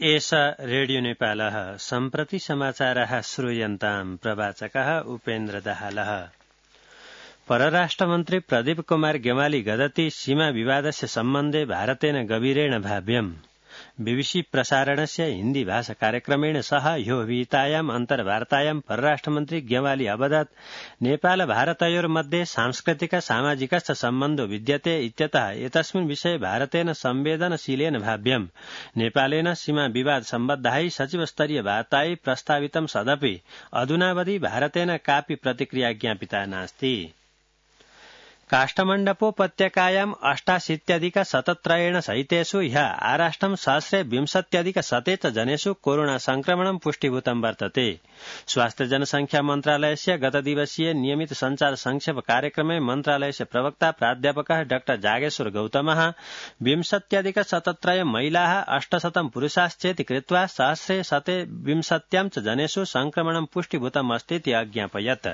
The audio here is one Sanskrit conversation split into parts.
एष रेडियो नेपालः सम्प्रति समाचारः श्रूयन्ताम् प्रवाचकः उपेन्द्र दाहालः। परराष्ट्रमन्त्री प्रदीप कुमार गेवाली गदति सीमा विवादस्य सम्बन्धे भारतेन गभीरेण भाव्यम्। बीबीसी प्रसारणस्य हिन्दी भाषा कार्यक्रमेण सह ह्यो विहितायाम् अन्तर्वार्तायाम् परराष्ट्रमन्त्री गेवाली अवदत् नेपाल भारतयोर्मध्ये सांस्कृतिक सामाजिकश्च सम्बन्धो विद्यते इत्यतः एतस्मिन् विषये भारतेन संवेदनशीलेन भाव्यम्। नेपालेन सीमा विवाद सम्बद्धायै सचिवस्तरीय वार्तायै प्रस्तावितं सदपि अधुनावधि भारतेन कापि प्रतिक्रिया ज्ञापिता नास्ति। काष्ठमण्डपोपत्यकायाम् 88,173 सहितेषु ह्यः आराष्ट्रं 1,020,100 च जनेषु कोरोना संक्रमणं पुष्टिभूतं वर्तते। स्वास्थ्य जनसंख्या मन्त्रालयस्य गतदिवसीय नियमित संचार संक्षेप कार्यक्रमे मन्त्रालयस्य प्रवक्ता प्राध्यापकः डाक्टर जागेश्वर गौतमः 20,017 महिलाः 800 पुरुषाश्चेति कृत्वा 1,120 च जनेषु संक्रमणं पुष्टिभूतम् अस्तीति अज्ञापयत्।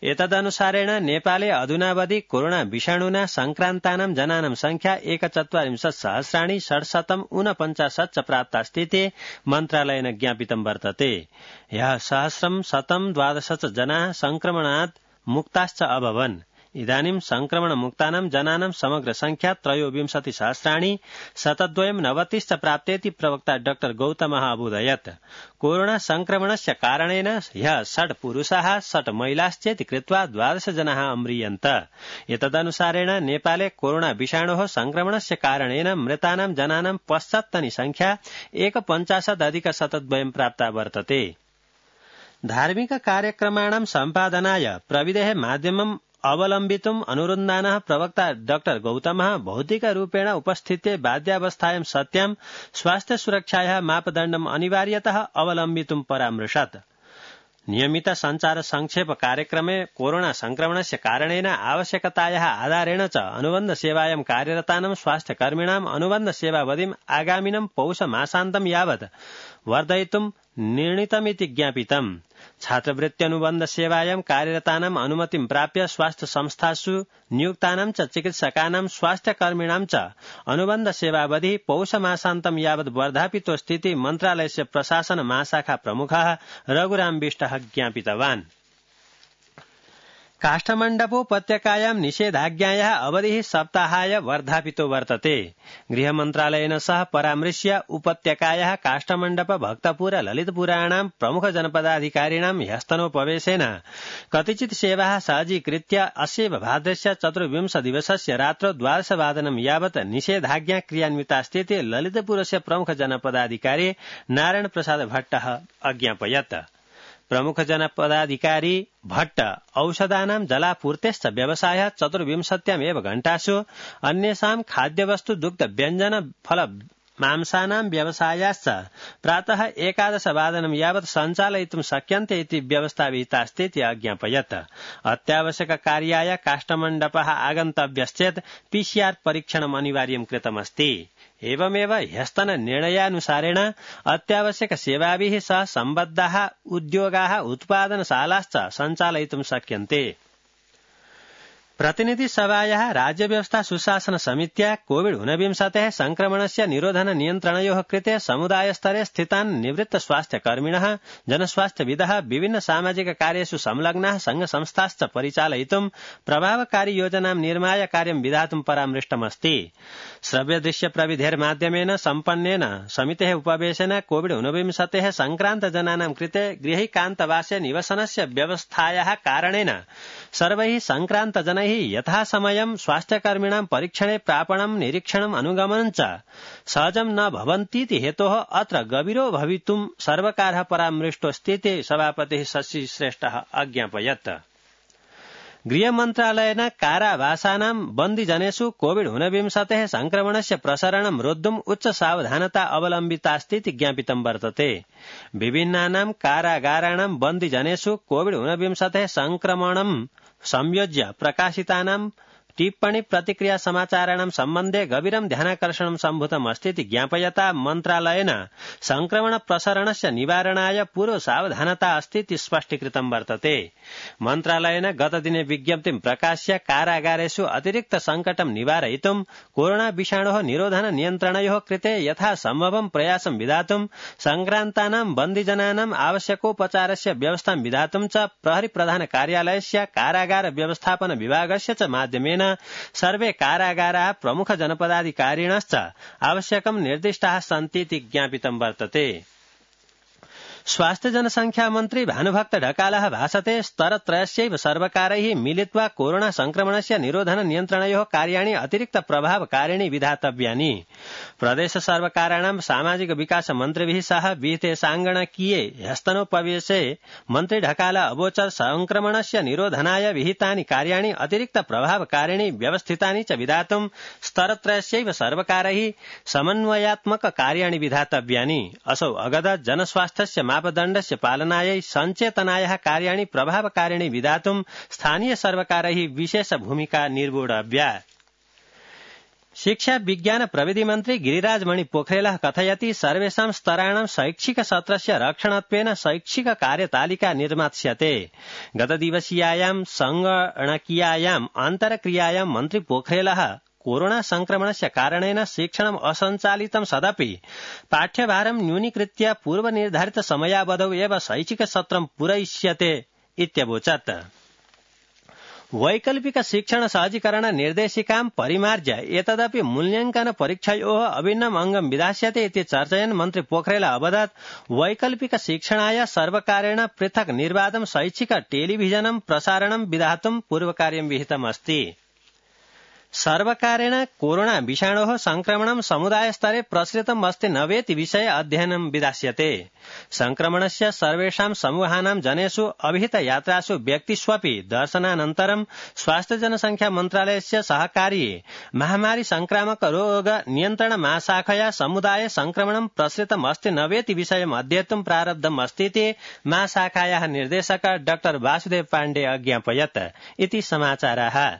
एतदनुसारेण नेपाले अधुनावधि कोरोना विषाणुना संक्रान्तानां जनानां संख्या 41,649 च प्राप्तास्तीति मन्त्रालयेन ज्ञापितं वर्तते। ह्यः 1,112 च जनाः संक्रमणात् मुक्ताश्च अभवन्। इदानीं संक्रमणमुक्तानां जनानां समग्र संख्या 23,729 च प्राप्तेति प्रवक्ता डॉ गौतमः अबोधयत्। कोरोना संक्रमणस्य कारणेन ह्यः 6 पुरुषाः 6 महिलाश्चेति कृत्वा 12 जनाः अम्रियन्त। एतदनुसारेण नेपाले कोरोना विषाणोः संक्रमणस्य कारणेन मृतानां जनानां पश्चात्तनी संख्या 1,50,000 प्राप्ता वर्तते। धार्मिक कार्यक्रमाणां सम्पादनाय प्रविधेः माध्यमम् अवलम्बितुम् अनुरुन्धानः प्रवक्ता डॉ गौतमः भौतिकरूपेण उपस्थित्य बाध्यावस्थायां सत्यां स्वास्थ्य सुरक्षायाः मापदण्डम् अनिवार्यतः अवलम्बितुं परामृशत्। नियमित संचार संक्षेप कार्यक्रमे कोरोना संक्रमणस्य कारणेन आवश्यकतायाः आधारेण च अनुबन्ध सेवायां कार्यरतानां स्वास्थ्यकर्मिणाम् अनुबन्ध सेवावधिम् आगामिनं पौष मासान्तं यावत् वर्धयितुं निर्णीतमिति ज्ञापितम्। छात्रवृत्त्यनुबन्ध सेवायां कार्यरतानाम् अनुमतिं प्राप्य स्वास्थ्य संस्थासु नियुक्तानां च चिकित्सकानां स्वास्थ्यकर्मिणां च अनुबन्ध सेवावधि पौष मासान्तं यावत् वर्धापितोऽस्तीति मन्त्रालयस्य प्रशासन महाशाखा प्रमुखः रघुराम बिष्टः ज्ञापितवान्। काष्ठमण्डपोपत्यकायां निषेधाज्ञायाः अवधिः सप्ताहाय वर्धापितो वर्तते। गृहमन्त्रालयेन सह परामृश्य उपत्यकायाः काष्ठमण्डप भक्तपुर ललितपुराणां प्रमुख जनपदाधिकारिणां ह्यस्तनोपवेशेन कतिचित् सेवाः सहजीकृत्य अस्यैव भाद्रस्य 24 दिवसस्य रात्रौ 12 यावत् निषेधाज्ञा क्रियान्वितास्तीति ललितपुरस्य प्रमुख जनपदाधिकारी नारायण प्रसाद भट्टः अज्ञापयत्। प्रमुख जनपदाधिकारी भट्ट औषधानां जलापूर्तेश्च व्यवसायः 24 घण्टासु अन्येषां खाद्यवस्तु दुग्ध व्यञ्जन फल मांसानां व्यवसायाश्च प्रातः 11 यावत् सञ्चालयितुं शक्यन्ते इति व्यवस्था विहितास्तीति अज्ञापयत्। अत्यावश्यक कार्याय काष्ठमण्डपः आगन्तव्यश्चेत् PCR परीक्षणम् अनिवार्यं कृतमस्ति। एवमेव ह्यस्तन निर्णयानुसारेण अत्यावश्यक सेवाभिः सह सम्बद्धाः उद्योगाः उत्पादनशालाश्च सञ्चालयितुं शक्यन्ते। प्रतिनिधि सभायाः राज्यव्यवस्था सुशासन समित्या कोविड-19 संक्रमणस्य निरोधन नियन्त्रणयोः कृते समुदायस्तरे स्थितान् निवृत्त स्वास्थ्यकर्मिणः जनस्वास्थ्यविदः विभिन्न सामाजिक कार्येषु संलग्नाः संघ-संस्थाश्च परिचालयितुं प्रभावकारी योजनां निर्माय कार्यं विधातुं परामृष्टमस्ति। श्रव्यदृश्य प्रविधेर्माध्यमेन सम्पन्नेन समितेः उपवेशेन कोविड-19 संक्रान्त जनानां कृते गृहैकान्तवासे निवसनस्य व्यवस्थायाः कारणेन सर्वैः संक्रान्त जनैः यथासमयं स्वास्थ्यकर्मिणां परीक्षणे प्रापणं निरीक्षणम् अनुगमनं च सहजं न भवन्तीति हेतोः अत्र गभीरो भवितुं सर्वकारः परामृष्टोऽस्तीति सभापतिः शशि श्रेष्ठः अज्ञापयत्। गृहमन्त्रालयेन कारावासानां बन्दिजनेषु कोविड-19 संक्रमणस्य प्रसरणं रोद्धुम् उच्च सावधानता अवलम्बितास्तीति ज्ञापितं वर्तते। विभिन्नानां कारागाराणां बन्दिजनेषु कोविड-19 संक्रमणं संयोज्य प्रकाशितानां टिप्पणी प्रतिक्रिया समाचाराणां सम्बन्धे गभीरं ध्यानाकर्षणं सम्भूतम् अस्तीति ज्ञापयता मन्त्रालयेन संक्रमण प्रसरणस्य निवारणाय पूर्व सावधानता अस्तीति स्पष्टीकृतं वर्तते। मन्त्रालयेन गतदिने विज्ञप्तिं प्रकाश्य कारागारेषु अतिरिक्त संकटं निवारयितुं कोरोना विषाणोः निरोधन नियन्त्रणयोः कृते यथा सम्भवं प्रयासं विधातुं संक्रान्तानां बन्दिजनानां आवश्यकोपचारस्य व्यवस्थां विधातुं च प्रहरी प्रधान कार्यालयस्य कारागार व्यवस्थापन विभागस्य च माध्यमेन सर्वे कारागाराः प्रमुख जनपदाधिकारिणश्च आवश्यकं निर्दिष्टाः सन्तीति ज्ञापितं वर्तते। स्वास्थ्य जनसंख्या मन्त्री भानुभक्त ढकालः भाषते स्तरत्रयस्यैव सर्वकारैः मिलित्वा कोरोना संक्रमणस्य निरोधन नियन्त्रणयोः कार्याणि अतिरिक्त प्रभावकारिणी विधातव्यानि। प्रदेश सर्वकाराणां सामाजिक विकास मन्त्रिभिः सह विहिते साङ्गणकीये ह्यस्तनोपवेशे मन्त्री ढकाल अवोचत् संक्रमणस्य निरोधनाय विहितानि कार्याणि अतिरिक्त प्रभावकारिणी व्यवस्थितानि च विधातुं स्तरत्रयस्यैव सर्वकारैः समन्वयात्मक कार्याणि विधातव्यानि। असौ अगदत् जनस्वास्थ्यस्य मापदण्डस्य पालनायै सञ्चेतनायाः कार्याणि प्रभावकारिणी विधातुं स्थानीय सर्वकारैः विशेष भूमिका निर्वोढव्या। शिक्षा विज्ञान प्रविधि मन्त्री गिरिराज मणि पोखरेलः कथयति सर्वेषां स्तराणां शैक्षिक सत्रस्य रक्षणत्वेन शैक्षिक कार्यतालिका निर्मास्यते। गतदिवसीयायां संगणकीयायाम् अन्तर्क्रियायां मन्त्री पोखरेलः कोरोना संक्रमणस्य कारणेन शिक्षणम् असञ्चालितं सदपि पाठ्यभारं न्यूनीकृत्य पूर्वनिर्धारित समयावधौ एव शैक्षिक सत्रं पूरयिष्यते इत्यवोचत्। वैकल्पिक शिक्षण सहजीकरण निर्देशिकां परिमार्ज्य एतदपि मूल्यांकन परीक्षयोः अभिन्नम् अङ्गं विधास्यते इति चर्चयन् मन्त्री पोखरेल अवदत् वैकल्पिक शिक्षणाय सर्वकारेण पृथक् निर्बाधं शैक्षिक टेलिभिजनं प्रसारणं विधातुं पूर्वकार्यं विहितमस्ति। सर्वकारेण कोरोना विषाणोः संक्रमणं समुदाय स्तरे प्रसृतम् अस्ति न वेति विषये अध्ययनं विधास्यते। संक्रमणस्य सर्वेषां समूहानां जनेषु अभिहित यात्रासु व्यक्तिष्वपि दर्शनानन्तरं स्वास्थ्य जनसंख्या मन्त्रालयस्य सहकार्ये महामारी संक्रामक रोग नियन्त्रण महाशाखया समुदाय संक्रमणं प्रसृतम् अस्ति न वेति विषयम् अध्येतुं प्रारब्धम् अस्तीति महाशाखायाः निर्देशक डॉ वासुदेव पाण्डे अज्ञापयत् इति समाचाराः।